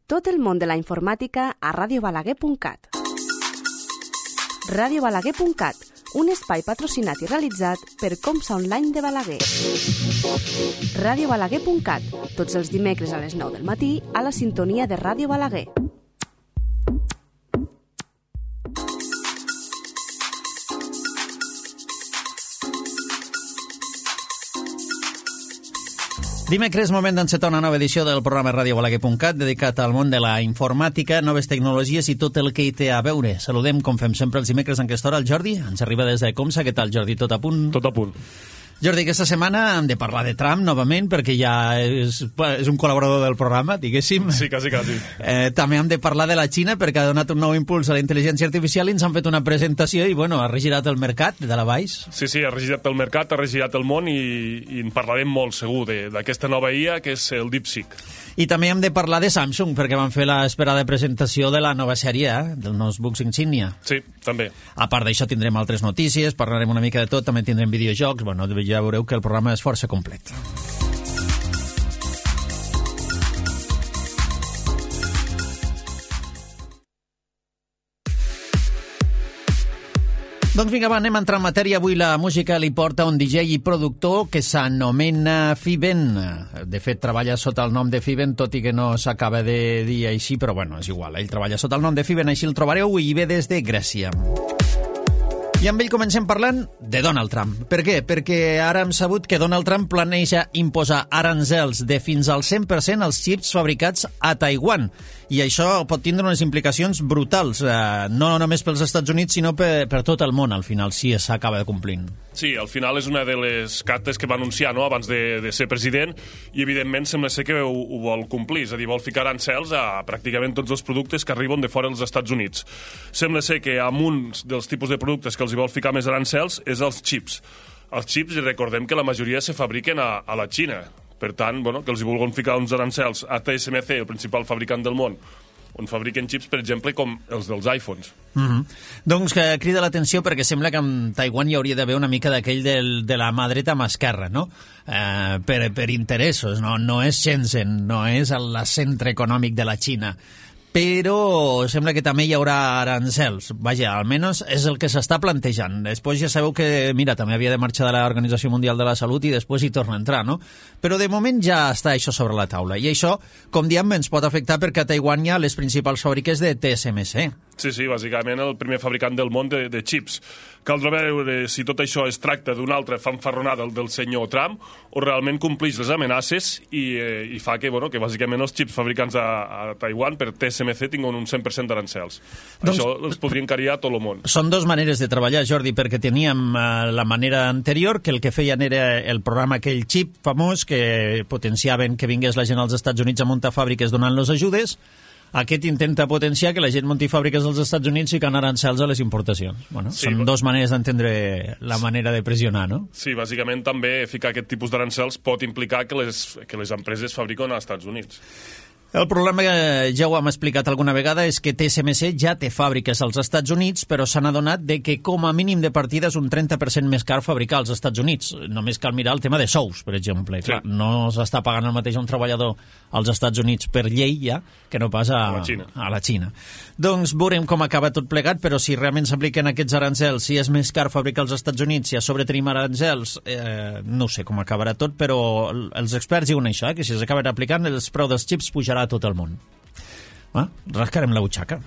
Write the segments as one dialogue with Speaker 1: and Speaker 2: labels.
Speaker 1: Tot el món de la informàtica a radiobalaguer.cat. radiobalaguer.cat, un espai patrocinat i realitzat per Comsa Online de Balaguer. radiobalaguer.cat, tots els dimecres a les 9 del matí a la sintonia de Ràdio Balaguer.
Speaker 2: Dimecres, moment d'encetar una nova edició del programa radiobalaguer.cat dedicat al món de la informàtica, noves tecnologies i tot el que hi té a veure. Saludem, com fem sempre els dimecres en aquesta hora, el Jordi. Ens arriba des de Comsa. Què tal, Jordi? Tot a punt?
Speaker 3: Tot a punt.
Speaker 2: Jordi, aquesta setmana hem de parlar de Trump novament, perquè ja és un col·laborador del programa, diguéssim.
Speaker 3: Sí, quasi.
Speaker 2: També hem de parlar de la Xina, perquè ha donat un nou impuls a la intel·ligència artificial i ens han fet una presentació i, bueno, ha regirat el mercat de la baix.
Speaker 3: Sí, ha regirat el mercat, ha regirat el món i en parlarem molt, segur, d'aquesta nova IA, que és el DeepSeek.
Speaker 2: I també hem de parlar de Samsung, perquè van fer l'esperada presentació de la nova sèrie, del notebooks Insignia.
Speaker 3: Sí, també.
Speaker 2: A part d'això tindrem altres notícies, parlarem una mica de tot, també tindrem videojocs, bueno, ja veureu que el programa és força complet. Doncs vinga, anem a entrar en matèria. Avui la música li porta un DJ i productor que s'anomena Fiben. De fet, treballa sota el nom de Fiben, tot i que no s'acaba de dir així, però bueno, és igual. Ell treballa sota el nom de Fiben, així el trobareu, i ve des de Grècia. I amb ell comencem parlant de Donald Trump. Per què? Perquè ara hem sabut que Donald Trump planeja imposar aranzels de fins al 100% als xips fabricats a Taiwan. I això pot tindre unes implicacions brutals, no només pels Estats Units, sinó per tot el món, al final, si s'acaba complint.
Speaker 3: Sí, al final és una de les cartes que va anunciar, no?, abans de ser president, i evidentment sembla ser que ho vol complir, és a dir, vol ficar arancels a pràcticament tots els productes que arriben de fora dels Estats Units. Sembla ser que amb un dels tipus de productes que els hi vol ficar més arancels és els xips. Els xips, recordem que la majoria se fabriquen a la Xina. Per tant, que els hi vulguin ficar uns arancels a TSMC, el principal fabricant del món, on fabriquen xips, per exemple, com els dels iPhones.
Speaker 2: Doncs que crida l'atenció perquè sembla que en Taiwan hi hauria d'haver una mica d'aquell de la mà dreta mà esquerra, no? Per interessos, no és Shenzhen, no és el centre econòmic de la Xina, però sembla que també hi haurà arancels. Vaja, almenys és el que s'està plantejant. Després ja sabeu que, mira, també havia de marxar de l'Organització Mundial de la Salut i després hi torna a entrar, no? Però de moment ja està això sobre la taula. I això, com diem, ens pot afectar perquè a Taiwan hi ha les principals fàbriques de TSMC.
Speaker 3: Sí, bàsicament el primer fabricant del món de xips. Caldrà veure si tot això es tracta d'una altra fanfarronada del senyor Trump o realment compleix les amenaces i fa que bàsicament els xips fabricants a Taiwan per TSMC tinguin un 100% d'arancels. Doncs, això els podria encariar a tot el món.
Speaker 2: Són dues maneres de treballar, Jordi, perquè teníem la manera anterior, que el que feien era el programa aquell xip famós que potenciaven que vingués la gent als Estats Units a muntar fàbriques donant-los ajudes. Aquest intenta potenciar que la gent munti fàbriques dels Estats Units i que arancels a les importacions. Sí, són dues maneres d'entendre la manera de pressionar, no?
Speaker 3: Sí, bàsicament també ficar aquest tipus d'arancels pot implicar que les empreses fabriquen als Estats Units.
Speaker 2: El problema, ja ho hem explicat alguna vegada, és que TSMC ja té fàbriques als Estats Units, però s'han adonat de que com a mínim de partida és un 30% més car fabricar als Estats Units. Només cal mirar el tema de sous, per exemple. Sí. Clar, no s'està pagant el mateix a un treballador als Estats Units per llei ja que no pas a la Xina. Doncs veurem com acaba tot plegat, però si realment s'apliquen aquests arancels, si és més car fabricar als Estats Units, si a sobre tenim arancels, no sé com acabarà tot, però els experts diuen això, que si s'acaben aplicant el preu dels xips pujarà a tot el món. Rascarem la butxaca.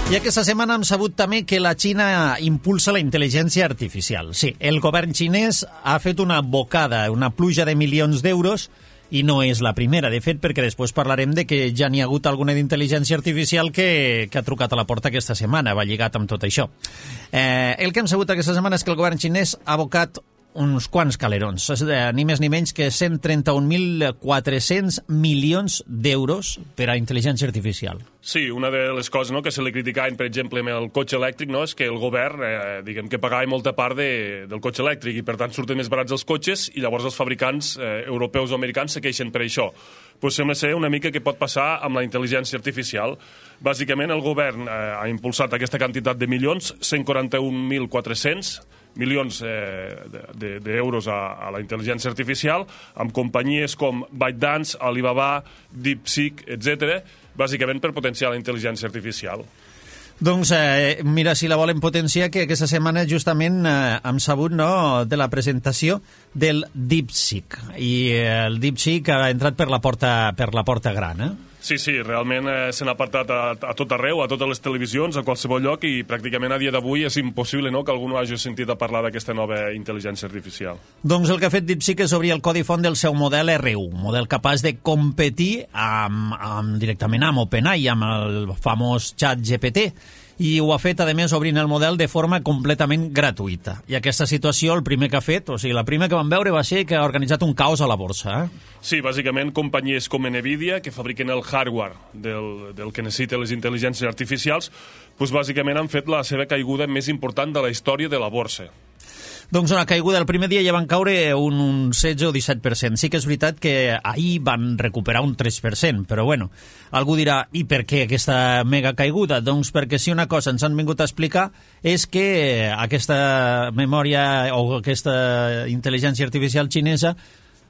Speaker 2: I aquesta setmana hem sabut també que la Xina impulsa la intel·ligència artificial. Sí, el govern xinès ha fet una bocada, una pluja de milions d'euros, i no és la primera, de fet, perquè després parlarem de que ja n'hi ha hagut alguna d'intel·ligència artificial que ha trucat a la porta aquesta setmana, va lligat amb tot això. El que hem sabut aquesta setmana és que el govern xinès ha abocat uns quants calerons, ni més ni menys que 131.400 milions d'euros per a intel·ligència artificial.
Speaker 3: Sí, una de les coses que se li criticaven, per exemple, amb el cotxe elèctric, és que el govern, que pagava molta part del cotxe elèctric i, per tant, surten més barats els cotxes i llavors els fabricants europeus o americans se queixen per això. Pues sembla ser una mica que pot passar amb la intel·ligència artificial. Bàsicament, el govern ha impulsat aquesta quantitat de milions, 141.400, milions d'euros a la intel·ligència artificial, amb companyies com ByteDance, Alibaba, DeepSeek, etc., bàsicament per potenciar la intel·ligència artificial.
Speaker 2: Doncs mira, si la volen potenciar, que aquesta setmana justament hem sabut de la presentació del DeepSeek. I el DeepSeek ha entrat per la porta gran,
Speaker 3: Sí, realment s'han apartat a tot arreu, a totes les televisions, a qualsevol lloc, i pràcticament a dia d'avui és impossible que algú no hagi sentit a parlar d'aquesta nova intel·ligència artificial.
Speaker 2: Doncs el que ha fet DeepSeek és obrir el codi font del seu model R1, model capaç de competir directament amb OpenAI, amb el famós ChatGPT, i ho ha fet, a més, obrint el model de forma completament gratuïta. I aquesta situació, el primer que ha fet, o sigui, la primera que vam veure va ser que ha organitzat un caos a la borsa.
Speaker 3: Sí, bàsicament companyies com Nvidia, que fabriquen el hardware del que necessiten les intel·ligències artificials, doncs bàsicament han fet la seva caiguda més important de la història de la borsa.
Speaker 2: Doncs una caiguda, el primer dia ja van caure un 16 o 17%. Sí que és veritat que ahir van recuperar un 3%, però bueno, algú dirà, i per què aquesta mega caiguda? Doncs perquè si una cosa ens han vingut a explicar és que aquesta memòria o aquesta intel·ligència artificial xinesa,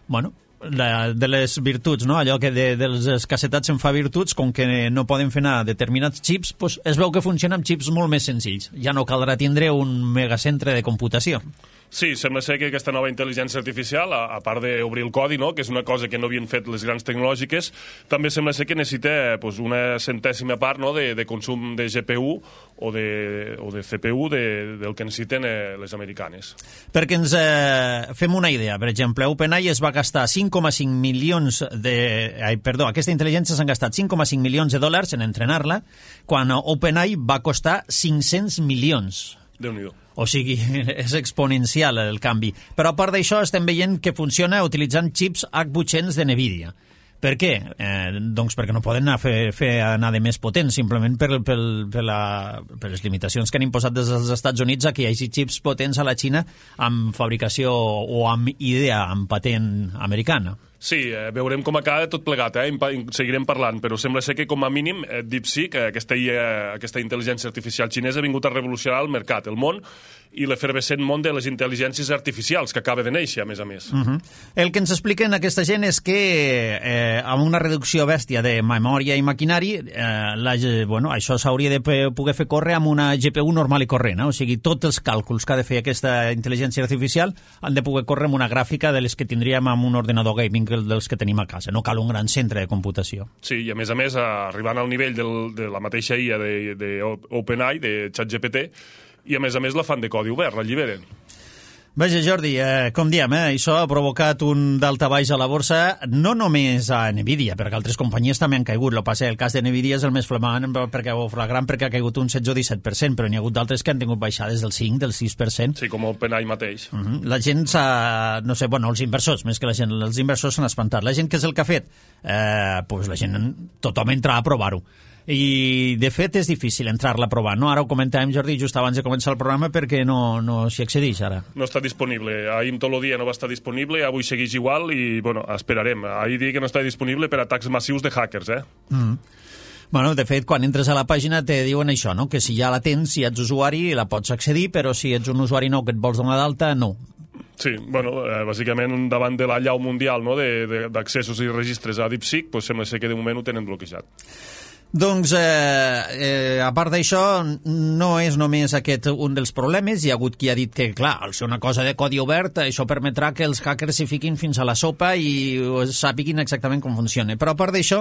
Speaker 2: bueno, de les virtuts, allò que de les escassetats se'n fa virtuts, com que no poden fer anar determinats xips, doncs es veu que funciona amb xips molt més senzills. Ja no caldrà tindre un megacentre de computació.
Speaker 3: Sí, sembla ser que aquesta nova intel·ligència artificial, a part d'obrir el codi, que és una cosa que no havien fet les grans tecnològiques, també sembla ser que necessita una centèsima part de consum de GPU o de CPU del que necessiten les americanes.
Speaker 2: Perquè ens fem una idea, per exemple, OpenAI es va gastar 5,5 milions aquesta intel·ligència s'han gastat 5,5 milions de dòlars en entrenar-la, quan OpenAI va costar 500 milions.
Speaker 3: Déu-n'hi-do.
Speaker 2: O sigui, és exponencial el canvi. Però a part d'això estem veient que funciona utilitzant xips H800 de Nvidia. Per què? Doncs perquè no poden fer anar de més potent, simplement per les limitacions que han imposat des dels Estats Units a que hi hagi xips potents a la Xina amb fabricació o amb idea, amb patent americana.
Speaker 3: Sí, veurem com acaba tot plegat, seguirem parlant, però sembla ser que com a mínim DeepSeek, aquesta intel·ligència artificial xinesa, ha vingut a revolucionar el mercat, el món, i l'efervescent món de les intel·ligències artificials, que acaba de néixer, a més.
Speaker 2: El que ens expliquen aquesta gent és que amb una reducció bèstia de memòria i maquinari, això s'hauria de poder fer córrer amb una GPU normal i corrent, o sigui, tots els càlculs que ha de fer aquesta intel·ligència artificial han de poder córrer amb una gràfica de les que tindríem amb un ordenador gaming dels que tenim a casa. No cal un gran centre de computació.
Speaker 3: Sí, i a més, arribant al nivell de la mateixa IA d'OpenAI, de ChatGPT, i a més la fan de codi obert, l'alliberen.
Speaker 2: Vaja, Jordi, com diem, això ha provocat un daltabaix a la borsa, no només a Nvidia, perquè altres companyies també han caigut. El cas de Nvidia és el més flagrant perquè ha caigut un 16 o 17%, però n'hi ha hagut d'altres que han tingut baixades del 5, del 6%.
Speaker 3: Sí, com OpenAI mateix.
Speaker 2: La gent els inversors, més que la gent, els inversors s'han espantat. La gent, què és el que ha fet? La gent, tothom entra a provar-ho. I, de fet, és difícil entrar-la a provar, no? Ara ho comentàvem, Jordi, just abans de començar el programa, perquè no s'hi accedeix ara. No
Speaker 3: està disponible. Ahir tot el dia no va estar disponible, avui segueix igual i, esperarem. Ahir dic que no està disponible per atacs massius de hackers,
Speaker 2: Bueno, de fet, quan entres a la pàgina te diuen això, no? Que si ja la tens, si ets usuari, la pots accedir, però si ets un usuari nou que et vols donar d'alta, no.
Speaker 3: Sí, bàsicament davant de l'allau mundial d'accessos i registres a DeepSeek, sembla ser que de moment ho tenen bloquejat.
Speaker 2: Doncs, a part d'això, no és només aquest un dels problemes. Hi ha hagut qui ha dit que, clar, al ser una cosa de codi obert, això permetrà que els hackers s'hi fiquin fins a la sopa i sàpiguin exactament com funciona. Però a part d'això,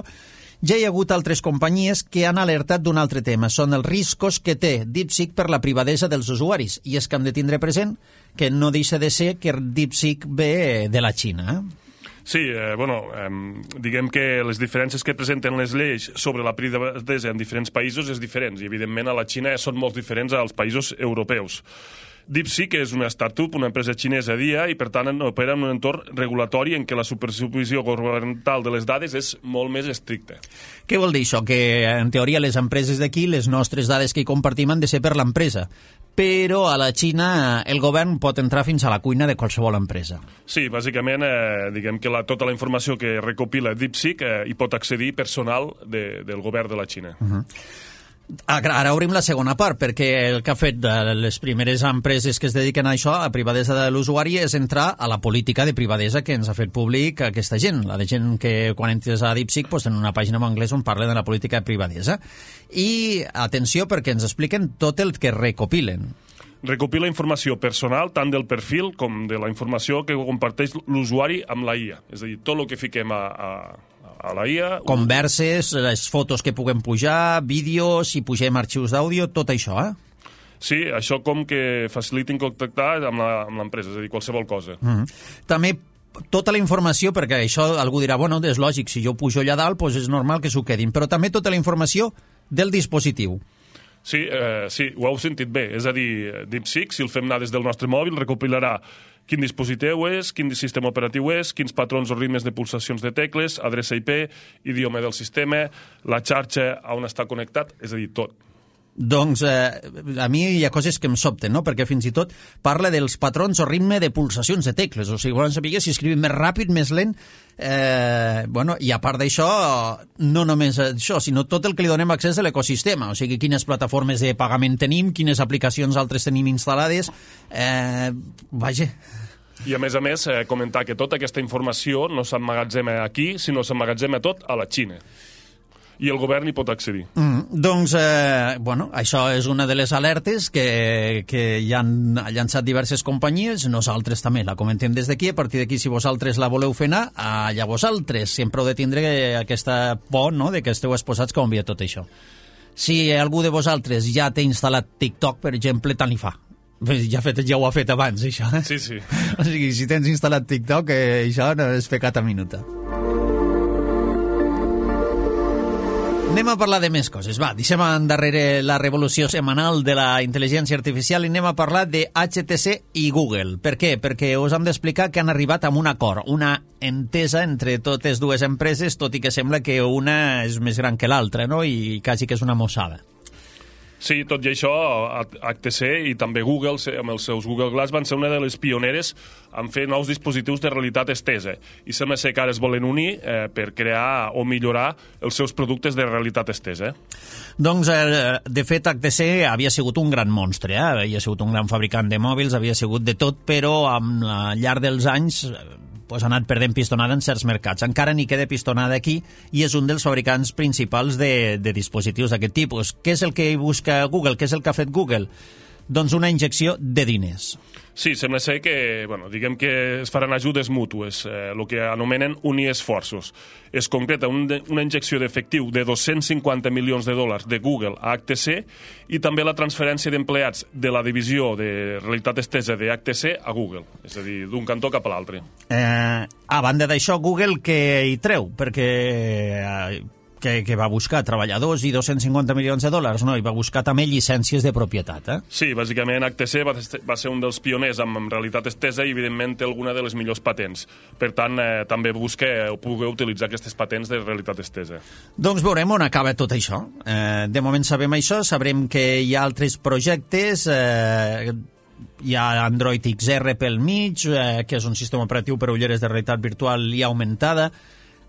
Speaker 2: ja hi ha hagut altres companyies que han alertat d'un altre tema. Són els riscos que té DeepSeek per la privadesa dels usuaris. I és que hem de tindre present que no deixa de ser que DeepSeek ve de la Xina,
Speaker 3: Sí, diguem que les diferències que presenten les lleis sobre la privadesa en diferents països és diferents i, evidentment, a la Xina són molt diferents als països europeus. DeepSeek és una startup, una empresa xinesa i, per tant, opera en un entorn regulatori en què la supervisió governamental de les dades és molt més estricta.
Speaker 2: Què vol dir això? Que, en teoria, les empreses d'aquí, les nostres dades que hi compartim han de ser per l'empresa. Però a la Xina el govern pot entrar fins a la cuina de qualsevol empresa.
Speaker 3: Sí, bàsicament, diguem que tota la informació que recopila DeepSeek hi pot accedir personal del govern de la Xina.
Speaker 2: Ara obrim la segona part, perquè el que ha fet de les primeres empreses que es dediquen a això, a privadesa de l'usuari, és entrar a la política de privadesa que ens ha fet públic aquesta gent. La de gent que quan entres a DeepSeek tenen una pàgina en anglès on parla de la política de privadesa. I atenció, perquè ens expliquen tot el que recopilen.
Speaker 3: Recopila informació personal, tant del perfil com de la informació que comparteix l'usuari amb la IA. És a dir, tot el que fiquem a la IA...
Speaker 2: Converses, les fotos que puguem pujar, vídeos, si pugem arxius d'àudio, tot això,
Speaker 3: Sí, això com que facilitin contactar amb l'empresa, és a dir, qualsevol cosa.
Speaker 2: També tota la informació, perquè això algú dirà, bueno, és lògic, si jo pujo allà dalt, doncs és normal que s'ho quedin, però també tota la informació del dispositiu.
Speaker 3: Sí, ho heu sentit bé. És a dir, DeepSeek, si el fem anar des del nostre mòbil, recopilarà quin dispositiu és, quin sistema operatiu és, quins patrons o ritmes de pulsacions de tecles, adreça IP, idioma del sistema, la xarxa on està connectat, és a dir, tot.
Speaker 2: Doncs a mi hi ha coses que em sobten, no? Perquè fins i tot parla dels patrons o ritme de pulsacions de tecles. O sigui, volen saber si escrivim més ràpid, més lent. I a part d'això, no només això, sinó tot el que li donem accés a l'ecosistema. O sigui, quines plataformes de pagament tenim, quines aplicacions altres tenim instal·lades. Vaja...
Speaker 3: I a més, comentar que tota aquesta informació no s'emmagatzema aquí, sinó s'emmagatzema tot a la Xina. I el govern hi pot accedir.
Speaker 2: Doncs, això és una de les alertes que ja han llançat diverses companyies. Nosaltres també la comentem des d'aquí. A partir d'aquí, si vosaltres la voleu fer anar, allà vosaltres. Sempre heu de tindre aquesta por, no?, de que esteu exposats com envia tot això. Si algú de vosaltres ja té instal·lat TikTok, per exemple, tant li fa. Ja ho ha fet abans, això.
Speaker 3: Sí.
Speaker 2: O sigui, si tens instal·lat TikTok, això no és pecat a minuta. Anem a parlar de més coses. Va, deixem endarrere la revolució setmanal de la intel·ligència artificial i anem a parlar de HTC i Google. Per què? Perquè us hem d'explicar que han arribat a un acord, una entesa entre totes dues empreses, tot i que sembla que una és més gran que l'altra, no? I quasi que és una mossada.
Speaker 3: Sí, tot i això, HTC i també Google, amb els seus Google Glass, van ser una de les pioneres en fer nous dispositius de realitat estesa. I sembla ser que ara es volen unir per crear o millorar els seus productes de realitat estesa.
Speaker 2: Doncs, de fet, HTC havia sigut un gran monstre, havia sigut un gran fabricant de mòbils, havia sigut de tot, però al llarg dels anys ha anat perdent pistonada en certs mercats. Encara n'hi queda pistonada aquí i és un dels fabricants principals de dispositius d'aquest tipus. Què és el que busca Google? Què és el que ha fet Google? Doncs una injecció de diners.
Speaker 3: Sí, sembla ser que, diguem que es faran ajudes mútues, el que anomenen unir esforços. Es concreta una injecció d'efectiu de 250 milions de dòlars de Google a HTC i també la transferència d'empleats de la divisió de realitat estesa de HTC a Google, és a dir, d'un cantó cap a l'altre.
Speaker 2: A banda d'això, Google què hi treu? Perquè que va buscar treballadors i 250 milions de dòlars, no? I va buscar també llicències de propietat,
Speaker 3: Sí, bàsicament HTC va ser un dels pioners en realitat estesa i evidentment té alguna de les millors patents. Per tant, també busca poder utilitzar aquestes patents de realitat estesa.
Speaker 2: Doncs veurem on acaba tot això. De moment sabem això, sabrem que hi ha altres projectes, hi ha Android XR pel mig, que és un sistema operatiu per a ulleres de realitat virtual i augmentada.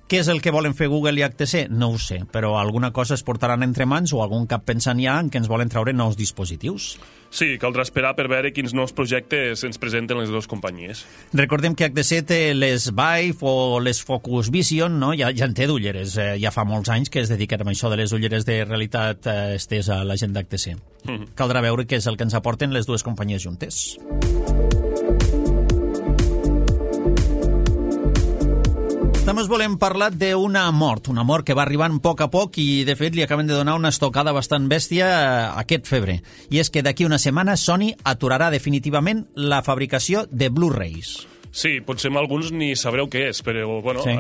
Speaker 2: Què és el que volen fer Google i HTC? No ho sé, però alguna cosa es portaran entre mans o algun cap pensant ja en què ens volen treure nous dispositius.
Speaker 3: Sí, caldrà esperar per veure quins nous projectes ens presenten les dues companyies.
Speaker 2: Recordem que HTC té les Vive o les Focus Vision, no? Ja en té d'ulleres. Ja fa molts anys que es dediquen a això de les ulleres de realitat estesa a la gent d'HTC. Caldrà veure què és el que ens aporten les dues companyies juntes. També us volem parlar d'una mort que va arribant a poc i, de fet, li acaben de donar una estocada bastant bèstia aquest febrer. I és que d'aquí una setmana Sony aturarà definitivament la fabricació de Blu-rays.
Speaker 3: Sí, potser alguns ni sabreu què és, però sí,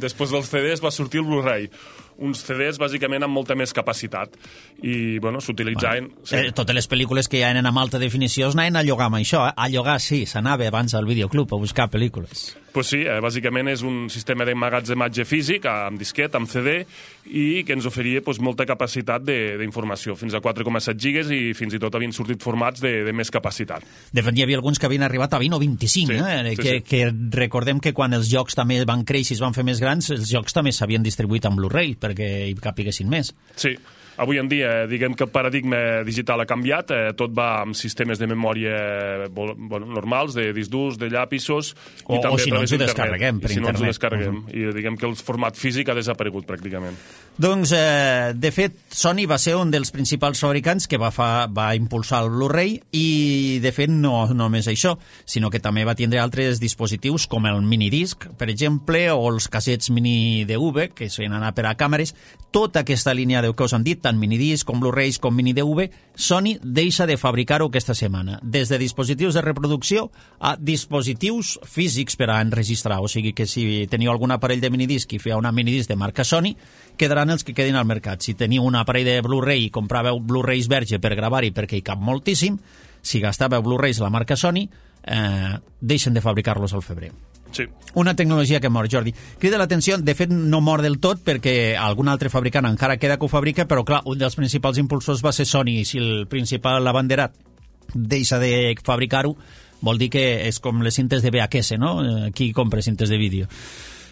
Speaker 3: després dels CDs va sortir el Blu-ray. Uns CDs, bàsicament, amb molta més capacitat. I, s'utilitzaven...
Speaker 2: Totes les pel·lícules que ja eren amb alta definició es anaven a llogar amb això. A llogar, sí, s'anava abans al videoclub a buscar pel·lícules.
Speaker 3: Pues sí, bàsicament és un sistema d'emmagatzematge físic, amb disquet, amb CD, i que ens oferia molta capacitat d'informació, fins a 4,7 gigas i fins i tot havien sortit formats de més capacitat.
Speaker 2: De fet, hi havia alguns que havien arribat a 20 o 25, que recordem que quan els jocs també van créixer i es van fer més grans, els jocs també s'havien distribuït en Blu-ray, per perquè hi capiguessin més.
Speaker 3: Sí. Avui en dia, diguem que el paradigma digital ha canviat, tot va amb sistemes de memòria normals, de disc durs, de llapisos...
Speaker 2: O si no ens ho descarreguem per internet.
Speaker 3: Si no ens ho descarreguem. I diguem que el format físic ha desaparegut pràcticament.
Speaker 2: Doncs, de fet, Sony va ser un dels principals fabricants que va impulsar el Blu-ray i, de fet, no només això, sinó que també va tindre altres dispositius com el minidisc, per exemple, o els cassets mini DV, que solen anar per a càmeres. Tota aquesta línia que us han dit, tant minidisc com Blu-rays com mini DV, Sony deixa de fabricar-ho aquesta setmana, des de dispositius de reproducció a dispositius físics per a enregistrar. O sigui que si teniu algun aparell de minidisc i feu una minidisc de marca Sony, quedaran els que quedin al mercat. Si teniu un aparell de Blu-ray i compràveu Blu-rays verge per gravar-hi perquè hi cap moltíssim, si gastàveu Blu-rays a la marca Sony, deixen de fabricar-los al febrer.
Speaker 3: Sí.
Speaker 2: Una tecnologia que mor, Jordi. Crida l'atenció, de fet no mor del tot perquè algun altre fabricant encara queda que ho fabrica, però clar, un dels principals impulsors va ser Sony, i si el principal abanderat deixa de fabricar-ho, vol dir que és com les cintes de VHS, no? Qui compra cintes de vídeo?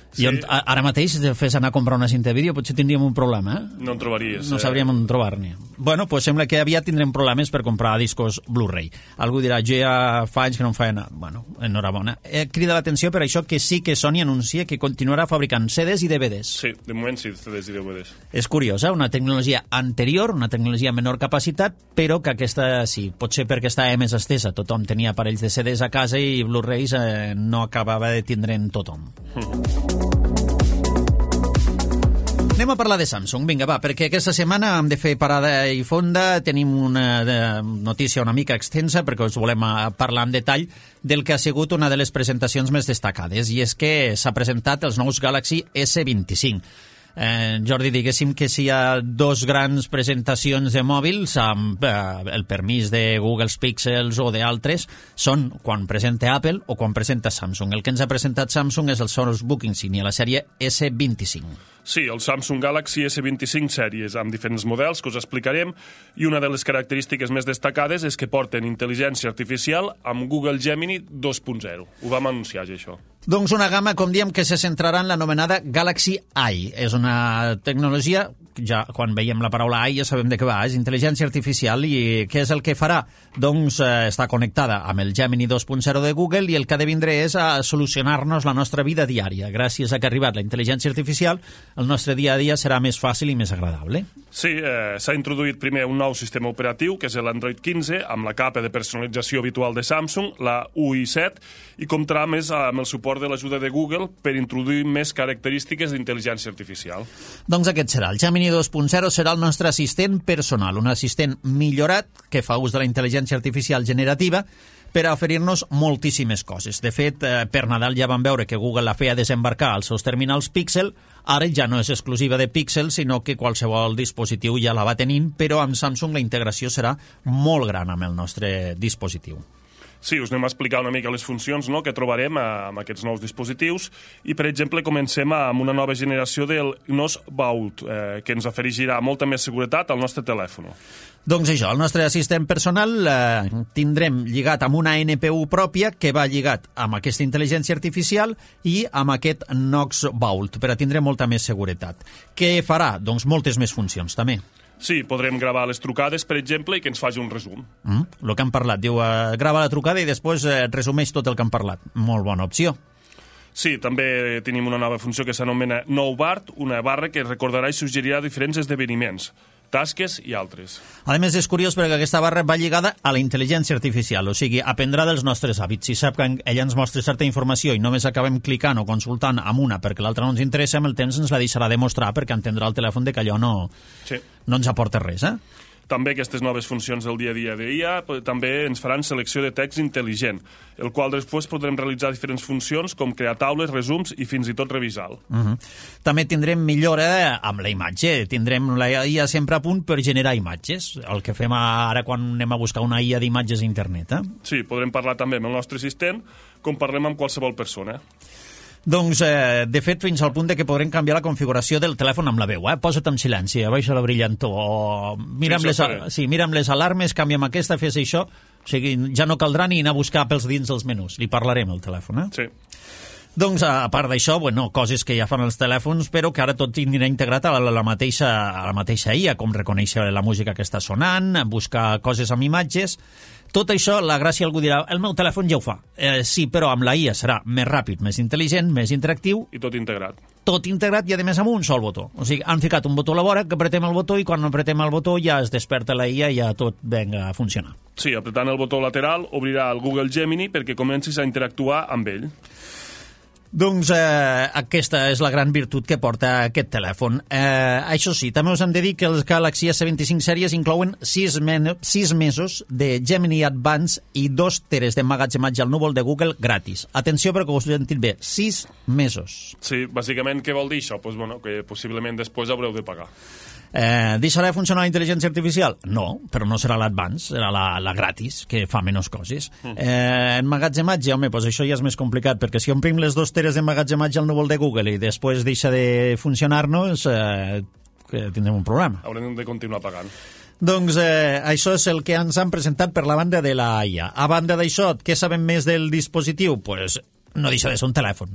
Speaker 2: Sí. I ara mateix, si fes anar a comprar una cinta de vídeo, potser tindríem un problema,
Speaker 3: No en trobaries.
Speaker 2: No sabríem on trobar-ne. Bueno, pues sembla que aviat tindrem problemes per comprar discos Blu-ray. Algú dirà, jo ja fa anys que no em feia anar. Bueno, enhorabona. Crida l'atenció per això que sí que Sony anuncia que continuarà fabricant CDs i DVDs.
Speaker 3: Sí, de moment sí, CDs i DVDs.
Speaker 2: És curiosa, una tecnologia anterior, una tecnologia menor capacitat, però que aquesta sí, potser perquè estava més estesa. Tothom tenia aparells de CDs a casa i Blu-rays no acabava de tindre'n tothom. Anem a parlar de Samsung, vinga, va, perquè aquesta setmana hem de fer parada i fonda, tenim una notícia una mica extensa perquè us volem parlar en detall del que ha sigut una de les presentacions més destacades, i és que s'ha presentat els nous Galaxy S25. Jordi, diguéssim que si hi ha dos grans presentacions de mòbils amb el permís de Google Pixels o d'altres, són quan presenta Apple o quan presenta Samsung. El que ens ha presentat Samsung és el Sonos Book Insignia, la sèrie S25.
Speaker 3: Sí, el Samsung Galaxy S25 sèries amb diferents models que us explicarem, i una de les característiques més destacades és que porten intel·ligència artificial amb Google Gemini 2.0. Ho vam anunciar ja, això.
Speaker 2: Doncs una gamma, com diem, que se centrarà en l'anomenada Galaxy AI. És una tecnologia, ja quan veiem la paraula AI ja sabem de què va, és intel·ligència artificial, i què és el que farà? Doncs està connectada amb el Gemini 2.0 de Google, i el que ha de vindre és a solucionar-nos la nostra vida diària. Gràcies a que ha arribat la intel·ligència artificial, el nostre dia a dia serà més fàcil i més agradable.
Speaker 3: Sí, s'ha introduït primer un nou sistema operatiu, que és l'Android 15, amb la capa de personalització habitual de Samsung, la UI 7, i comptarà més amb el suport de l'ajuda de Google per introduir més característiques d'intel·ligència artificial.
Speaker 2: Doncs aquest serà. El Gemini 2.0 serà el nostre assistent personal, un assistent millorat que fa ús de la intel·ligència artificial generativa per a oferir-nos moltíssimes coses. De fet, per Nadal ja vam veure que Google la feia desembarcar als seus terminals Pixel. Ara ja no és exclusiva de Pixel, sinó que qualsevol dispositiu ja la va tenint, però amb Samsung la integració serà molt gran amb el nostre dispositiu.
Speaker 3: Sí, us anem a explicar una mica les funcions, no?, que trobarem amb aquests nous dispositius, i, per exemple, comencem amb una nova generació del Gnos Vault, que ens afegirà molta més seguretat al nostre telèfon.
Speaker 2: Doncs això, el nostre assistent personal tindrem lligat amb una NPU pròpia que va lligat amb aquesta intel·ligència artificial i amb aquest Gnos Vault, per a tindre molta més seguretat. Què farà? Doncs moltes més funcions, també.
Speaker 3: Sí, podrem gravar les trucades, per exemple, i que ens faci un resum.
Speaker 2: El que han parlat. Diu, grava la trucada i després resumeix tot el que han parlat. Molt bona opció.
Speaker 3: Sí, també tenim una nova funció que s'anomena Nou Bart, una barra que recordarà i suggerirà diferents esdeveniments, tasques i altres.
Speaker 2: A més, és curiós perquè aquesta barra va lligada a la intel·ligència artificial, o sigui, aprendrà dels nostres hàbits. Si sap que ella ens mostra certa informació i només acabem clicant o consultant amb una perquè l'altra no ens interessa, amb el temps ens la deixarà de mostrar perquè entendrà el telèfon de que allò no ens aporta res,
Speaker 3: També aquestes noves funcions del dia a dia d'IA també ens faran selecció de text intel·ligent, el qual després podrem realitzar diferents funcions com crear taules, resums i fins i tot revisar-lo.
Speaker 2: També tindrem millora amb la imatge. Tindrem la IA sempre a punt per generar imatges, el que fem ara quan anem a buscar una IA d'imatges a internet.
Speaker 3: Sí, podrem parlar també amb el nostre assistent com parlem amb qualsevol persona.
Speaker 2: Doncs, de fet, fins al punt de que podrem canviar la configuració del telèfon amb la veu. Posa't en silenci, abaixa la brillantor, o mira'm les alarmes, canvia'm aquesta, fes això. O sigui, ja no caldrà ni anar a buscar pels dins dels menús. Li parlarem al telèfon,
Speaker 3: Sí.
Speaker 2: Doncs, a part d'això, coses que ja fan els telèfons, però que ara tot tindrà integrat a la mateixa IA, com reconèixer la música que està sonant, buscar coses amb imatges. Tot això, la gràcia algú dirà, el meu telèfon ja ho fa. Sí, però amb la IA serà més ràpid, més intel·ligent, més interactiu.
Speaker 3: I tot integrat.
Speaker 2: Tot integrat i, a més, amb un sol botó. O sigui, han ficat un botó a la vora, que apretem el botó i quan apretem el botó ja es desperta la IA i ja tot venga a funcionar.
Speaker 3: Sí, apretant el botó lateral obrirà el Google Gemini perquè comencis a interactuar amb ell.
Speaker 2: Doncs aquesta és la gran virtut que porta aquest telèfon. Això sí, també us hem de dir que els Galaxy S25 sèries inclouen 6 mesos de Gemini Advance i 2 teres d'emmagatzematge al núvol de Google gratis. Atenció perquè us ho he sentit bé, 6 mesos.
Speaker 3: Sí, bàsicament què vol dir això? Pues, que possiblement després haureu de pagar.
Speaker 2: Deixarà de funcionar la intel·ligència artificial? No, però no serà l'Advance, serà la gratis, que fa menys coses. Emmagatzematge, home, doncs això ja és més complicat, perquè si omplim les 2 teres d'emmagatzematge al núvol de Google i després deixa de funcionar-nos, tindrem un problema.
Speaker 3: Haurem de continuar pagant.
Speaker 2: Doncs això és el que ens han presentat per la banda de la IA. A banda d'això, què sabem més del dispositiu? Pues no deixa de ser un telèfon.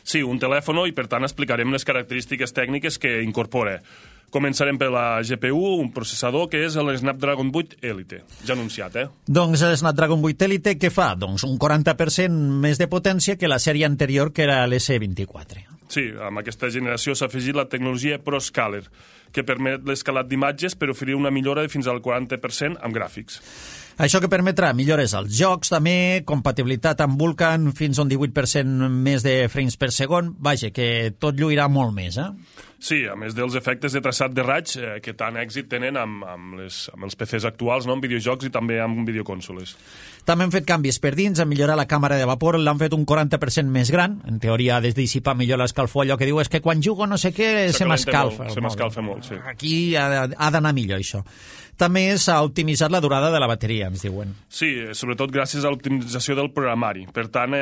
Speaker 3: Sí, un telèfon, i per tant explicarem les característiques tècniques que incorpora. Començarem per la GPU, un processador que és el Snapdragon 8 Elite, ja anunciat,
Speaker 2: Doncs el Snapdragon 8 Elite què fa? Doncs un 40% més de potència que la sèrie anterior, que era l'S24.
Speaker 3: Sí, amb aquesta generació s'ha afegit la tecnologia ProScaler, que permet l'escalat d'imatges per oferir una millora de fins al 40% amb gràfics.
Speaker 2: Això que permetrà millores als jocs, també, compatibilitat amb Vulkan, fins a un 18% més de frames per segon. Vaja, que tot lluirà molt més,
Speaker 3: Sí, a més dels efectes de traçat de raig que tant èxit tenen amb els PCs actuals, no? Amb videojocs i també amb videoconsoles.
Speaker 2: També han fet canvis per dins, han millorat la càmera de vapor, l'han fet un 40% més gran, en teoria ha de dissipar millor l'escalfor, allò que diu és que quan jugo no sé què se m'escalfa.
Speaker 3: Se m'escalfa molt, sí.
Speaker 2: Aquí ha d'anar millor això. També s'ha optimitzat la durada de la bateria, ens diuen.
Speaker 3: Sí, sobretot gràcies a l'optimització del programari. Per tant,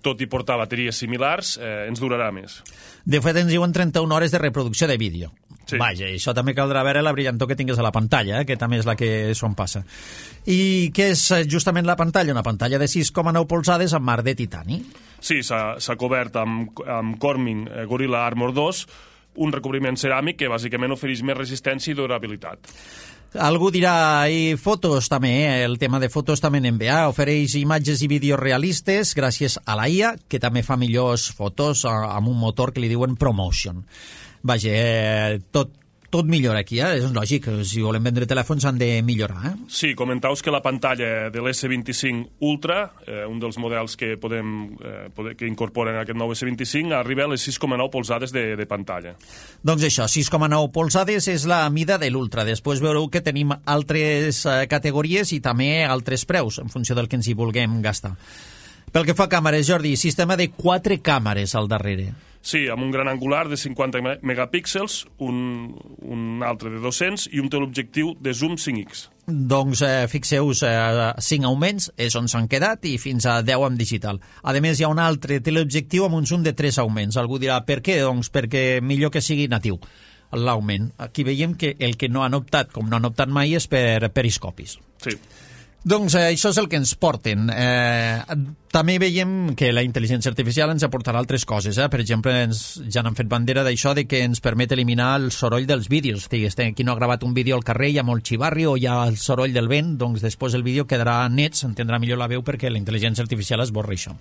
Speaker 3: tot i portar bateries similars, ens durarà més.
Speaker 2: De fet, ens diuen 31 hores de reproducció de vídeo. Sí. Vaja, això també caldrà veure la brillantor que tingues a la pantalla, que també és la que s'on passa. I què és justament la pantalla? Una pantalla de 6,9 polzades amb marc de titani. Sí,
Speaker 3: s'ha cobert amb Corning Gorilla Armor 2, un recobriment ceràmic que bàsicament ofereix més resistència i durabilitat.
Speaker 2: Algú dirà, i fotos també, el tema de fotos també n'envia, ofereix imatges i vídeos realistes gràcies a la IA, que també fa millors fotos amb un motor que li diuen ProMotion. Vaja, tot millora aquí, és lògic, si volem vendre telèfons han de millorar.
Speaker 3: Sí, comentaus que la pantalla de l'S25 Ultra, un dels models que que incorporen aquest nou S25, arriba a les 6,9 polzades de pantalla.
Speaker 2: Doncs això, 6,9 polzades és la mida de l'Ultra. Després veureu que tenim altres categories i també altres preus, en funció del que ens hi vulguem gastar. Pel que fa a càmeres, Jordi, sistema de 4 càmeres al darrere.
Speaker 3: Sí, amb un gran angular de 50 megapíxels, un altre de 200 i un teleobjectiu de zoom 5x.
Speaker 2: Doncs fixeu-vos, 5 augments és on s'han quedat i fins a 10 amb digital. A més, hi ha un altre teleobjectiu amb un zoom de 3 augments. Algú dirà, per què? Doncs perquè millor que sigui natiu l'augment. Aquí veiem que el que no han optat, com no han optat mai, és per periscopis.
Speaker 3: Sí.
Speaker 2: Doncs això és el que ens porten. També veiem que la intel·ligència artificial ens aportarà altres coses. Per exemple, ja n'han fet bandera d'això de que ens permet eliminar el soroll dels vídeos. Qui no ha gravat un vídeo al carrer, hi ha molt xivarri o hi ha el soroll del vent, doncs després el vídeo quedarà net, s'entendrà millor la veu perquè la intel·ligència artificial esborra això.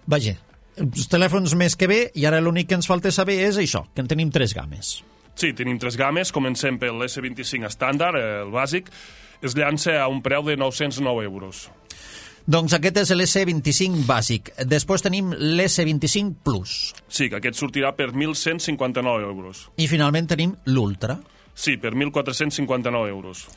Speaker 2: Vaja, els telèfons més que bé, i ara l'únic que ens falta saber és això, que en tenim 3 games.
Speaker 3: Sí, tenim 3 games. Comencem per l'S25 estàndard, el bàsic. Es llança a un preu de 909 euros.
Speaker 2: Doncs aquest és l'S25 bàsic. Després tenim l'S25 Plus.
Speaker 3: Sí, que aquest sortirà per 1.159 euros.
Speaker 2: I finalment tenim l'Ultra.
Speaker 3: Sí, per 1.459 euros.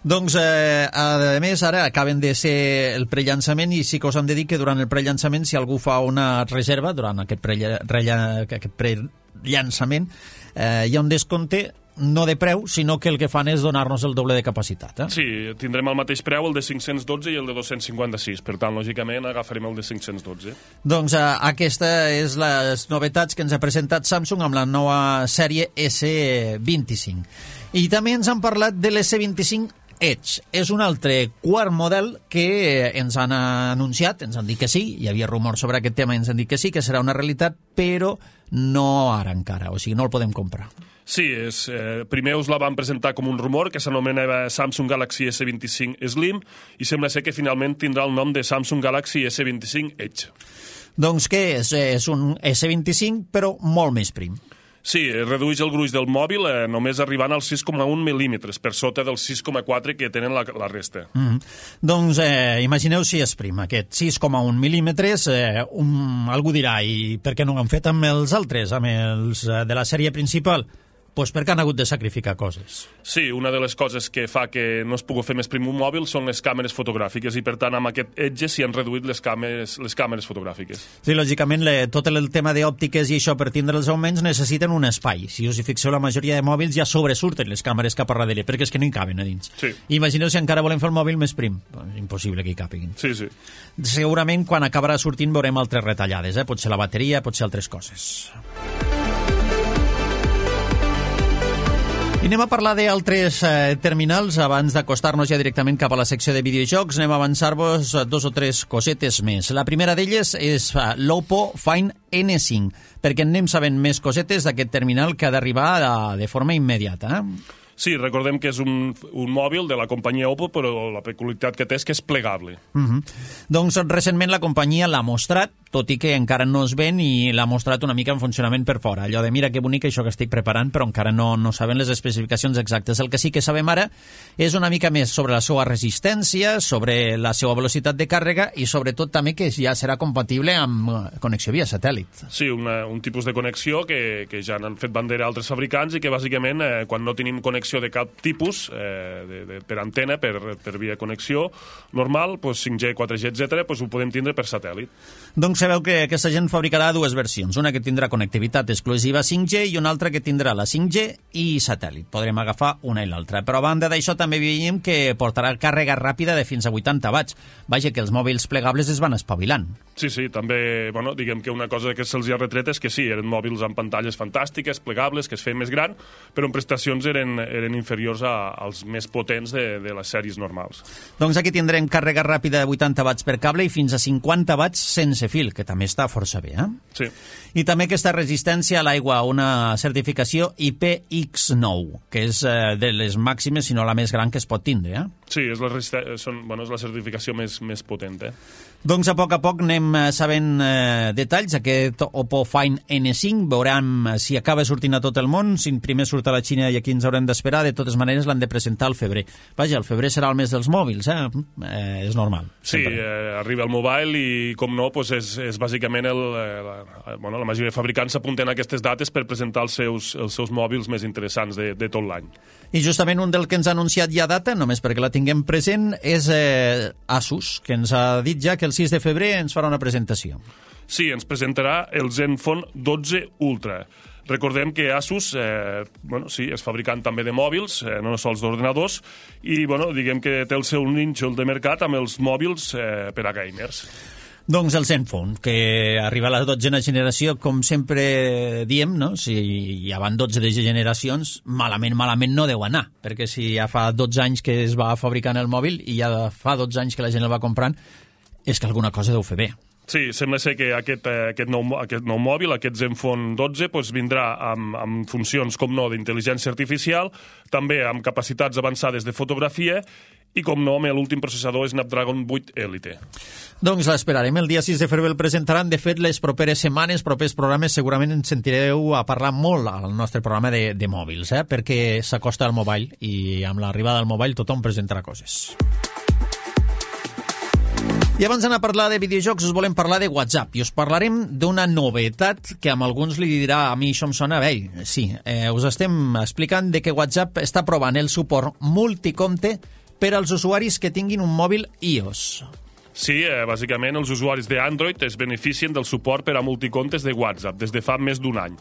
Speaker 2: Doncs, a més, ara acaben de ser el prellançament i sí que us hem de dir que durant el prellançament, si algú fa una reserva durant aquest prellançament, hi ha un descompte no de preu, sinó que el que fan és donar-nos el doble de capacitat.
Speaker 3: Sí, tindrem el mateix preu, el de 512 i el de 256. Per tant, lògicament, agafarem el de 512.
Speaker 2: Doncs aquesta és les novetats que ens ha presentat Samsung amb la nova sèrie S25. I també ens han parlat de l'S25 Edge. És un altre quart model que ens han anunciat, ens han dit que sí, hi havia rumors sobre aquest tema i ens han dit que sí, que serà una realitat, però no ara encara, o sigui, no el podem comprar.
Speaker 3: Sí, primer us la van presentar com un rumor que s'anomenava Samsung Galaxy S25 Slim i sembla ser que finalment tindrà el nom de Samsung Galaxy S25 Edge.
Speaker 2: Doncs què és? És un S25 però molt més prim.
Speaker 3: Sí, redueix el gruix del mòbil només arribant als 6,1 mil·límetres, per sota dels 6,4 que tenen la resta.
Speaker 2: Doncs imagineu si és prim, aquest 6,1 mil·límetres. Algú dirà, i per què no ho han fet amb els altres, amb els de la sèrie principal? Doncs perquè han hagut de sacrificar coses.
Speaker 3: Sí, una de les coses que fa que no es pugui fer més prim un mòbil són les càmeres fotogràfiques i, per tant, amb aquest Edge s'hi han reduït les càmeres fotogràfiques.
Speaker 2: Sí, lògicament, tot el tema d'òptiques i això, per tindre els augments, necessiten un espai. Si us hi fixeu, la majoria de mòbils ja sobresurten les càmeres cap a darrere, perquè és que no hi caben a dins.
Speaker 3: Sí.
Speaker 2: Imagineu si encara volem fer el mòbil més prim. Impossible que hi càpiguin.
Speaker 3: Sí, sí.
Speaker 2: Segurament, quan acabarà sortint, veurem altres retallades. Potser la bateria, potser altres coses. I anem a parlar d'altres terminals abans d'acostar-nos ja directament cap a la secció de videojocs. Anem a avançar-vos 2 o 3 cosetes més. La primera d'elles és l'Oppo Find N5, perquè anem sabent més cosetes d'aquest terminal que ha d'arribar de forma immediata.
Speaker 3: Sí, recordem que és un mòbil de la companyia Oppo, però la peculiaritat que té és que és plegable.
Speaker 2: Doncs recentment la companyia l'ha mostrat, tot i que encara no es ven, i l'ha mostrat una mica en funcionament per fora. Allò de mira que bonic això que estic preparant, però encara no saben les especificacions exactes. El que sí que sabem ara és una mica més sobre la seva resistència, sobre la seva velocitat de càrrega i sobretot també que ja serà compatible amb connexió via satèl·lit.
Speaker 3: Sí, un tipus de connexió que ja n'han fet bandera altres fabricants i que bàsicament quan no tenim connexió de cap tipus per antena, per via connexió normal, 5G, 4G, etc., ho podem tindre per satèl·lit.
Speaker 2: Doncs sabeu que aquesta gent fabricarà 2 versions, una que tindrà connectivitat exclusiva 5G i una altra que tindrà la 5G i satèl·lit. Podrem agafar una i l'altra. Però a banda d'això també veiem que portarà càrrega ràpida de fins a 80 watts. Vaja, que els mòbils plegables es van espavilant.
Speaker 3: Sí, també, diguem que una cosa que se'ls ha retret és que sí, eren mòbils amb pantalles fantàstiques, plegables, que es feien més gran, però en prestacions eren inferiors als més potents de les sèries normals.
Speaker 2: Doncs aquí tindrem càrrega ràpida de 80 watts per cable i fins a 50 watts sense fil, que també està força bé,
Speaker 3: Sí.
Speaker 2: I també aquesta resistència a l'aigua, una certificació IPX9, que és de les màximes, si no la més gran que es pot tindre,
Speaker 3: Sí, és la certificació més potent,
Speaker 2: Doncs a poc anem sabent detalls. Aquest Oppo Find N5, veurem si acaba sortint a tot el món, si primer surt a la Xina i aquí ens haurem d'esperar. De totes maneres l'han de presentar al febrer. Vaja, el febrer serà el mes dels mòbils, és normal.
Speaker 3: Sí, arriba el mobile i, com no, és bàsicament la majoria de fabricants s'apunten a aquestes dates per presentar els seus mòbils més interessants de tot l'any.
Speaker 2: I justament un del que ens ha anunciat ja data, només perquè la tinguem present, és Asus, que ens ha dit ja que el 6 de febrer ens farà una presentació.
Speaker 3: Sí, ens presentarà el Zenfone 12 Ultra. Recordem que Asus és fabricant també de mòbils, no sols d'ordenadors, i diguem que té el seu nínxol de mercat amb els mòbils per a gamers.
Speaker 2: Doncs el Zenfone, que arriba a la 12a generació, com sempre diem, no? Si ja van 12 de generacions, malament no deu anar, perquè si ja fa 12 anys que es va fabricant el mòbil i ja fa 12 anys que la gent el va comprant, és que alguna cosa deu fer bé.
Speaker 3: Sí, sembla ser que aquest nou mòbil, aquest Zenfone 12, vindrà amb funcions, com no, d'intel·ligència artificial, també amb capacitats avançades de fotografia i, com no, amb l'últim processador Snapdragon 8 Elite.
Speaker 2: Doncs l'esperarem. El dia 6 de febrer el presentaran. De fet, les properes setmanes, propers programes, segurament ens sentireu a parlar molt al nostre programa de mòbils, perquè s'acosta al mobile i amb l'arribada al mobile tothom presentarà coses. I abans d'anar a parlar de videojocs us volem parlar de WhatsApp i us parlarem d'una novetat que amb alguns li dirà a mi això em sona vell. Sí, us estem explicant de que WhatsApp està provant el suport multicompte per als usuaris que tinguin un mòbil iOS.
Speaker 3: Sí, bàsicament els usuaris d'Android es beneficien del suport per a multicomptes de WhatsApp des de fa més d'un any.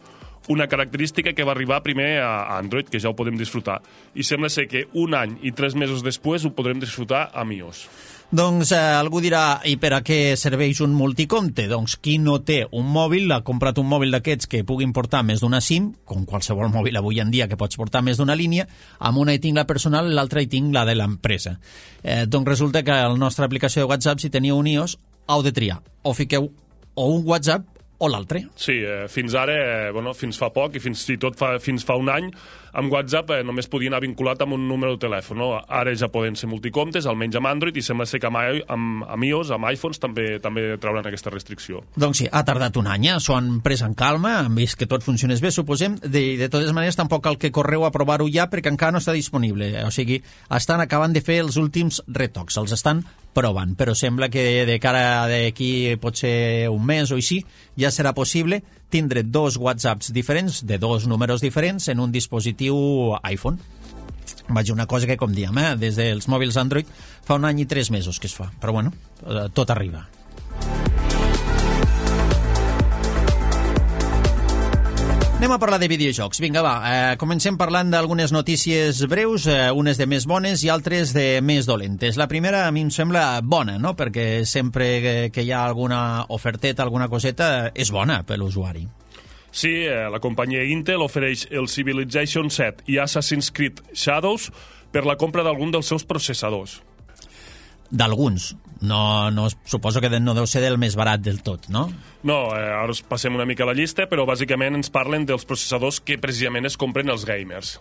Speaker 3: una característica que va arribar primer a Android, que ja ho podem disfrutar. I sembla ser que 1 any i 3 mesos després ho podrem disfrutar amb iOS.
Speaker 2: Doncs algú dirà, i per a què serveix un multicompte? Doncs qui no té un mòbil, ha comprat un mòbil d'aquests que puguin portar més d'una SIM, com qualsevol mòbil avui en dia que pots portar més d'una línia, amb una hi tinc la personal, l'altra hi tinc la de l'empresa. Doncs resulta que a la nostra aplicació de WhatsApp, si teniu un iOS, heu de triar. O fiqueu o un WhatsApp o l'altre.
Speaker 3: Sí, fins ara, fins fa poc i fins i tot fins fa un any, amb WhatsApp només podia anar vinculat amb un número de telèfon. No? Ara ja poden ser multicomptes, almenys amb Android, i sembla ser que amb iOS, amb iPhones, també trauran aquesta restricció.
Speaker 2: Doncs sí, ha tardat un any, s'ho han pres en calma, han vist que tot funcionés bé, suposem. De totes maneres, tampoc cal que correu a provar-ho ja, perquè encara no està disponible. O sigui, estan acabant de fer els últims retocs, els estan provant, però sembla que de cara d'aquí potser un mes o així ja serà possible tindre 2 WhatsApps diferents, de 2 números diferents, en un dispositiu iPhone. Vaja, una cosa que, com diem, des dels mòbils Android fa un any i 3 mesos que es fa, però bueno, tot arriba. Anem a parlar de videojocs. Vinga, va, comencem parlant d'algunes notícies breus, unes de més bones i altres de més dolentes. La primera a mi em sembla bona, no? Perquè sempre que hi ha alguna oferteta, alguna coseta, és bona per l'usuari.
Speaker 3: Sí, la companyia Intel ofereix el Civilization 7 i Assassin's Creed Shadows per la compra d'algun dels seus processadors.
Speaker 2: D'alguns. No, suposo que no deu ser del més barat del tot, no?
Speaker 3: No, ara us passem una mica la llista, però bàsicament ens parlen dels processadors que precisament es compren els gamers.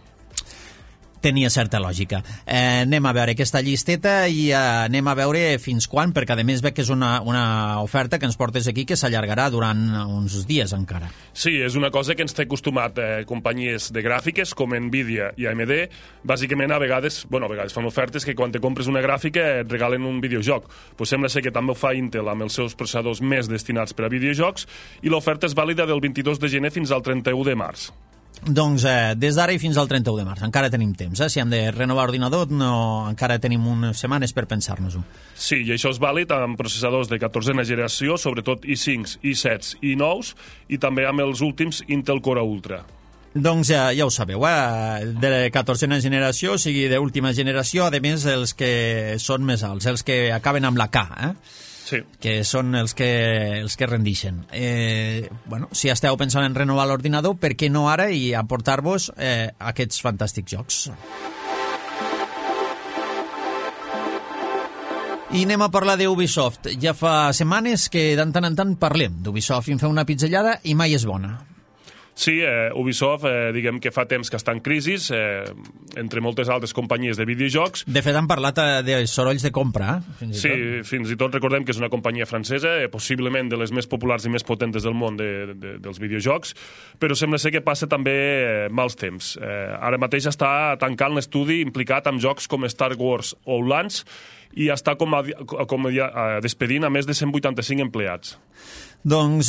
Speaker 2: Tenia certa lògica. Anem a veure aquesta llisteta i anem a veure fins quan, perquè a més veig que és una oferta que ens portes aquí que s'allargarà durant uns dies encara.
Speaker 3: Sí, és una cosa que ens té acostumat companyies de gràfiques com Nvidia i AMD. Bàsicament, a vegades fan ofertes que quan te compres una gràfica et regalen un videojoc. Pues sembla ser que també ho fa Intel amb els seus processadors més destinats per a videojocs i l'oferta és vàlida del 22 de gener fins al 31 de març.
Speaker 2: Doncs des d'ara i fins al 31 de març. Encara tenim temps, Si hem de renovar ordinador, encara tenim unes setmanes per pensar-nos-ho.
Speaker 3: Sí, i això és vàlid amb processadors de 14a generació, sobretot i5, i7 i i9, i també amb els últims Intel Core Ultra.
Speaker 2: Doncs ja ho sabeu, de 14a generació, o sigui, d'última generació, a més els que són més alts, els que acaben amb la K,
Speaker 3: Sí.
Speaker 2: Que són els que rendixen. Si esteu pensant en renovar l'ordinador, per què no ara i aportar-vos aquests fantàstics jocs? I anem a parlar d'Ubisoft. Ja fa setmanes que de tant en tant parlem d'Ubisoft i en fem una pizzellada i mai és bona.
Speaker 3: Sí, Ubisoft, diguem que fa temps que està en crisi, entre moltes altres companyies de videojocs.
Speaker 2: De fet, han parlat de sorolls de compra.
Speaker 3: Fins i tot recordem que és una companyia francesa, possiblement de les més populars i més potentes del món dels videojocs, però sembla ser que passa també mals temps. Ara mateix està tancant l'estudi implicat amb jocs com Star Wars Outlands i està despedint a més de 185 empleats.
Speaker 2: Doncs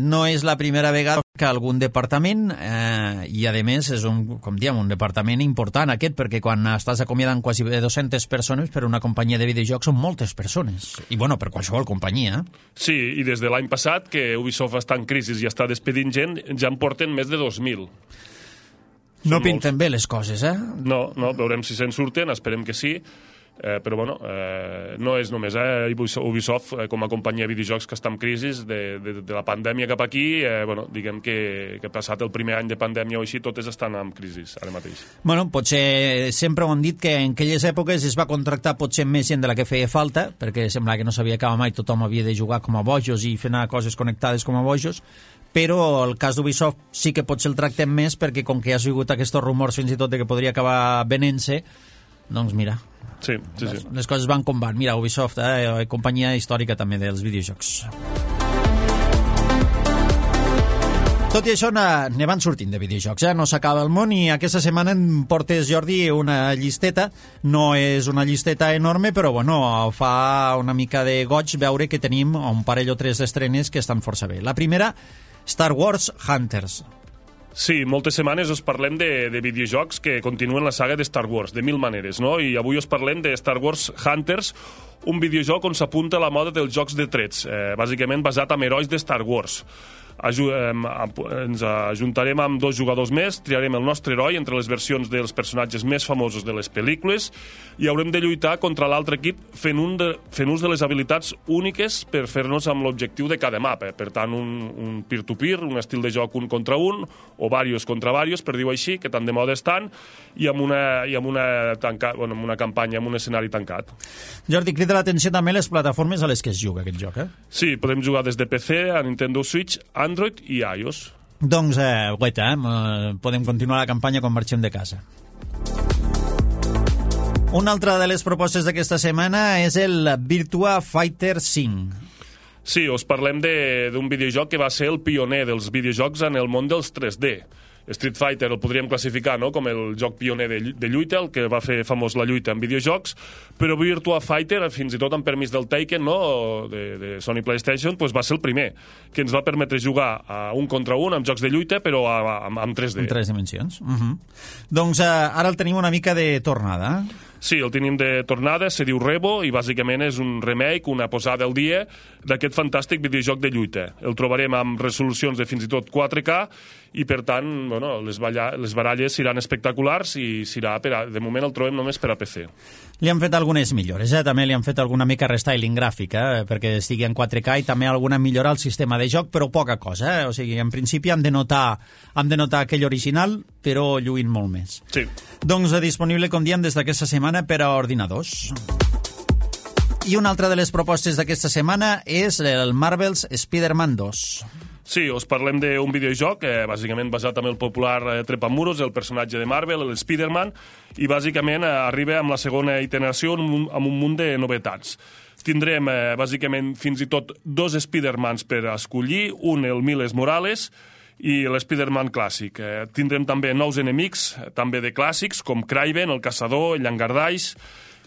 Speaker 2: no és la primera vegada que algun departament, i a més és un departament important aquest, perquè quan estàs acomiadant quasi 200 persones per una companyia de videojocs són moltes persones, i per qualsevol companyia.
Speaker 3: Sí, i des de l'any passat que Ubisoft està en crisi i està despedint gent, ja en porten més de 2.000.
Speaker 2: No pinten bé les coses,
Speaker 3: No, veurem si se'n surten, esperem que sí. Però no és només Ubisoft com a companyia de videojocs que està en crisi de la pandèmia cap aquí, diguem que passat el primer any de pandèmia o així totes estan en crisi ara mateix.
Speaker 2: Potser sempre ho han dit que en aquelles èpoques es va contractar potser més gent de la que feia falta, perquè sembla que no s'havia acabat mai, tothom havia de jugar com a bojos i fer coses connectades com a bojos, però el cas d'Ubisoft sí que potser el tractem més perquè com que ha sigut aquests rumors fins i tot de que podria acabar venent-se, doncs mira,
Speaker 3: sí.
Speaker 2: Les coses van com van. Mira, Ubisoft, companyia històrica també dels videojocs. Tot i això, ne van sortint de videojocs, no s'acaba el món, i aquesta setmana em portes, Jordi, una llisteta. No és una llisteta enorme, però fa una mica de goig veure que tenim un parell o 3 d'estrenes que estan força bé. La primera, Star Wars Hunters.
Speaker 3: Sí, moltes setmanes us parlem de videojocs que continuen la saga de Star Wars, de mil maneres, no? I avui us parlem de Star Wars Hunters, un videojoc on s'apunta a la moda dels jocs de trets, bàsicament basat en herois de Star Wars. ens ajuntarem amb 2 jugadors més, triarem el nostre heroi entre les versions dels personatges més famosos de les pel·lícules i haurem de lluitar contra l'altre equip fent ús de les habilitats úniques per fer-nos amb l'objectiu de cada mapa. Per tant, un peer-to-peer, un estil de joc un contra un, o varios contra varios, per dir-ho així, que tant de moda estan, i amb una campanya, amb un escenari tancat.
Speaker 2: Jordi, crida l'atenció també les plataformes a les que es juga aquest joc,
Speaker 3: Sí, podem jugar des de PC a Nintendo Switch, Android i iOS.
Speaker 2: Doncs, guaita, podem continuar la campanya quan marxem de casa. Una altra de les propostes d'aquesta setmana és el Virtua Fighter 5.
Speaker 3: Sí, us parlem d'un videojoc que va ser el pioner dels videojocs en el món dels 3D. Street Fighter el podríem classificar, no?, com el joc pioner de lluita, el que va fer famós la lluita en videojocs, però Virtua Fighter, fins i tot amb permís del Taken, no?, de Sony PlayStation, doncs va ser el primer, que ens va permetre jugar a un contra un amb jocs de lluita, però amb 3D.
Speaker 2: En 3 dimensions. Doncs ara el tenim una mica de tornada.
Speaker 3: Sí, el tenim de tornada, se diu Rebo, i bàsicament és un remake, una posada al dia d'aquest fantàstic videojoc de lluita. El trobarem amb resolucions de fins i tot 4K, i per tant, bueno, les baralles seran espectaculars i de moment el trobem només per a PC.
Speaker 2: Li han fet algunes millores, també li han fet alguna mica restyling gràfic, perquè estigui en 4K, i també alguna millora al sistema de joc, però poca cosa, O sigui, en principi hem de notar aquell original, però lluint molt més.
Speaker 3: Sí.
Speaker 2: Doncs disponible, com diem, des d'aquesta setmana per a ordinadors. I una altra de les propostes d'aquesta setmana és el Marvel's Spider-Man 2.
Speaker 3: Sí, us parlem d'un videojoc, bàsicament basat en el popular Trepamuros, el personatge de Marvel, el Spider-Man, i bàsicament arriba amb la segona iteració amb un munt de novetats. Tindrem, bàsicament, fins i tot 2 Spider-Mans per escollir, un, el Miles Morales, i l'Spider-Man clàssic. Tindrem també nous enemics, també de clàssics, com Kraven, el Caçador, el Llangardaix,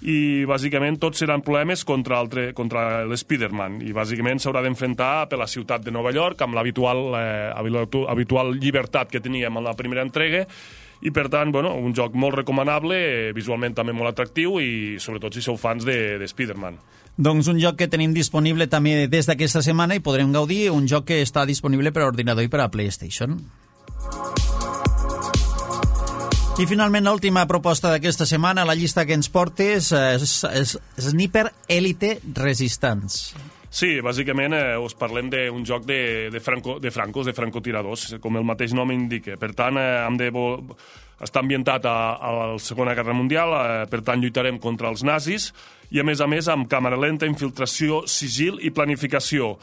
Speaker 3: i bàsicament tots seran problemes contra l'Spider-Man, i bàsicament s'haurà d'enfrontar per la ciutat de Nova York amb l'habitual llibertat que teníem en la primera entrega, i per tant, bueno, un joc molt recomanable, visualment també molt atractiu, i sobretot si sou fans de Spider-Man.
Speaker 2: Doncs un joc que tenim disponible també des d'aquesta setmana i podrem gaudir, un joc que està disponible per a ordinador i per a PlayStation. I finalment l'última proposta d'aquesta setmana, la llista que ens portes, és Sniper Elite Resistance.
Speaker 3: Sí, bàsicament us parlem d'un joc de francotiradors, com el mateix nom indica. Per tant, està ambientat a la Segona Guerra Mundial, per tant lluitarem contra els nazis, i a més amb càmera lenta, infiltració, sigil i planificació.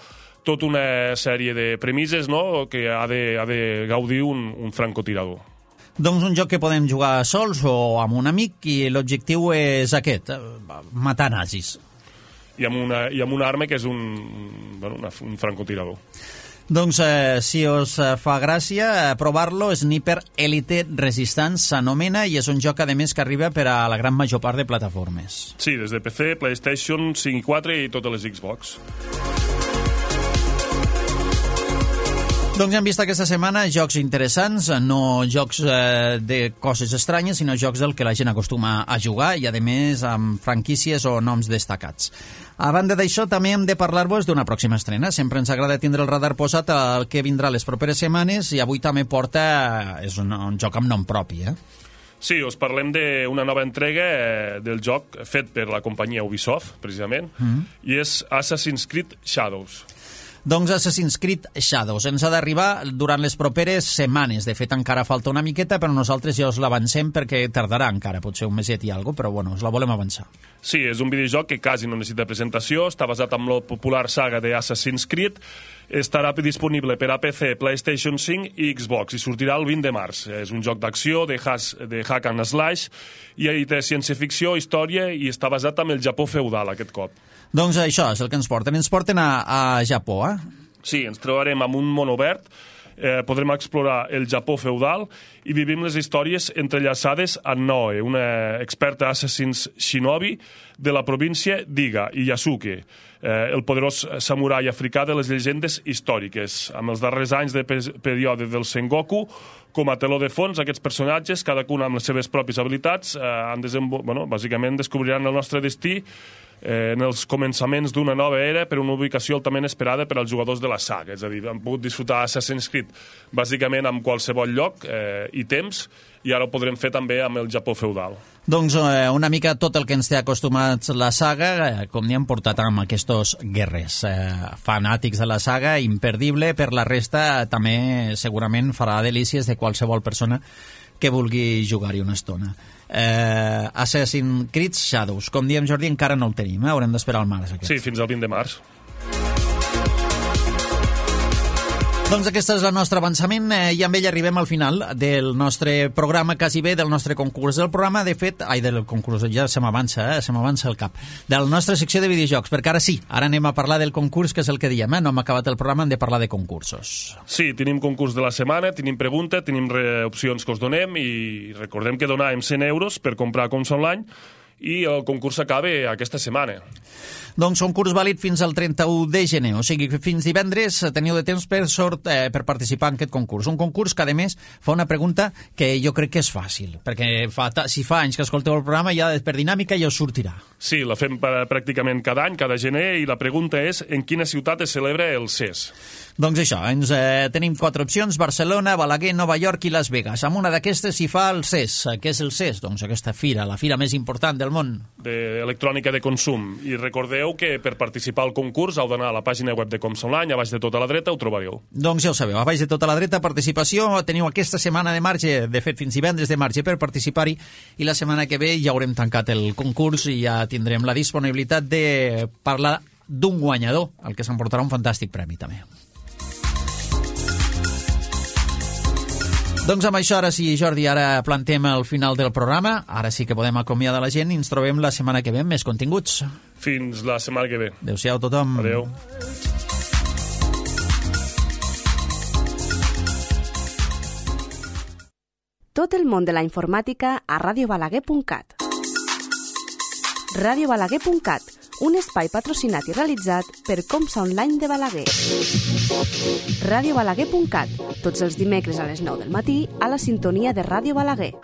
Speaker 3: Tota una sèrie de premisses, no?, que ha de gaudir un francotirador.
Speaker 2: Doncs un joc que podem jugar sols o amb un amic, i l'objectiu és aquest, matar nazis.
Speaker 3: I amb una arma que és un francotirador.
Speaker 2: Doncs si us fa gràcia provar-lo, Sniper Elite Resistance s'anomena, i és un joc, a més, que arriba per a la gran major part de plataformes.
Speaker 3: Sí, des de PC, PlayStation 5 i 4 i totes les Xbox.
Speaker 2: Doncs hem vist aquesta setmana jocs interessants, no jocs de coses estranyes, sinó jocs del que la gent acostuma a jugar, i a més amb franquícies o noms destacats. A banda d'això, també hem de parlar-vos d'una pròxima estrena. Sempre ens agrada tindre el radar posat al que vindrà les properes setmanes, i avui també és un joc amb nom propi,
Speaker 3: Sí, us parlem d'una nova entrega del joc fet per la companyia Ubisoft, precisament, i és Assassin's Creed Shadows.
Speaker 2: Doncs Assassin's Creed Shadows ens ha d'arribar durant les properes setmanes. De fet, encara falta una miqueta, però nosaltres ja us l'avancem perquè tardarà encara, potser un meset i alguna cosa, però bueno, us la volem avançar.
Speaker 3: Sí, és un videojoc que quasi no necessita presentació, està basat en la popular saga de Assassin's Creed, estarà disponible per a PC, PlayStation 5 i Xbox, i sortirà el 20 de març. És un joc d'acció, de hack and slash, i té ciència-ficció, història, i està basat en el Japó feudal, aquest cop.
Speaker 2: Doncs això és el que ens porten. Ens porten a Japó,
Speaker 3: Sí, ens trobarem amb un món obert, podrem explorar el Japó feudal i vivim les històries entrellaçades en Noe, una experta assassins shinobi de la província d'Iga i Yasuke, el poderós samurai africà de les llegendes històriques. Amb els darrers anys de període del Sengoku, com a teló de fons, aquests personatges, cadascun amb les seves pròpies habilitats, bàsicament descobriran el nostre destí en els començaments d'una nova era per una ubicació altament esperada per als jugadors de la saga. És a dir, han pogut disfrutar Assassin's Creed bàsicament en qualsevol lloc i temps, i ara ho podrem fer també amb el Japó feudal.
Speaker 2: Doncs una mica tot el que ens té acostumats la saga, com n'hi han portat amb aquests guerrers. Fanàtics de la saga, imperdible, per la resta també segurament farà delícies de qualsevol persona que vulgui jugar-hi una estona. Assassin's Creed Shadows, com diem, Jordi, encara no el tenim, haurem d'esperar al març.
Speaker 3: Sí, fins al 20 de març.
Speaker 2: Doncs aquest és el nostre avançament i amb ell arribem al final del nostre programa, quasi bé del nostre concurs del programa, de fet, del concurs, ja se m'avança el cap, de la nostra secció de videojocs, perquè ara sí, ara anem a parlar del concurs, que és el que diem, no hem acabat el programa, hem de parlar de concursos.
Speaker 3: Sí, tenim concurs de la setmana, tenim pregunta, tenim opcions que us donem i recordem que donàvem 100 euros per comprar Comsa Online i el concurs s'acaba aquesta setmana.
Speaker 2: Doncs un curs vàlid fins al 31 de gener, o sigui que fins divendres teniu de temps per participar en aquest concurs. Un concurs que, a més, fa una pregunta que jo crec que és fàcil, perquè si fa anys que escolteu el programa, ja per dinàmica ja us sortirà.
Speaker 3: Sí, la fem pràcticament cada any, cada gener, i la pregunta és en quina ciutat es celebra el CES.
Speaker 2: Doncs això, tenim 4 opcions: Barcelona, Balaguer, Nova York i Las Vegas. Amb una d'aquestes s'hi fa el CES. Què és el CES? Doncs aquesta fira, la fira més important del món.
Speaker 3: D'electrònica de consum. I recordeu que per participar al concurs heu d'anar a la pàgina web de Comsa Online, a baix de tota la dreta ho trobareu.
Speaker 2: Doncs ja ho sabeu, a baix de tota la dreta, participació, teniu aquesta setmana de marge, de fet fins divendres de marge per participar-hi, i la setmana que ve ja haurem tancat el concurs i ja tindrem la disponibilitat de parlar d'un guanyador, el que s'emportarà un fantàstic premi també. Doncs amb això, ara sí, Jordi, ara plantem el final del programa. Ara sí que podem acomiadar la gent i ens trobem la setmana que ve amb més continguts.
Speaker 3: Fins la setmana que ve.
Speaker 2: Adéu-siau a tothom.
Speaker 3: Adéu.
Speaker 1: Tot el món de la informàtica a radiobalaguer.cat. radiobalaguer.cat, un espai patrocinat i realitzat per Comsa Online de Balaguer. radiobalaguer.cat, tots els dimecres a les 9 del matí a la sintonia de Ràdio Balaguer.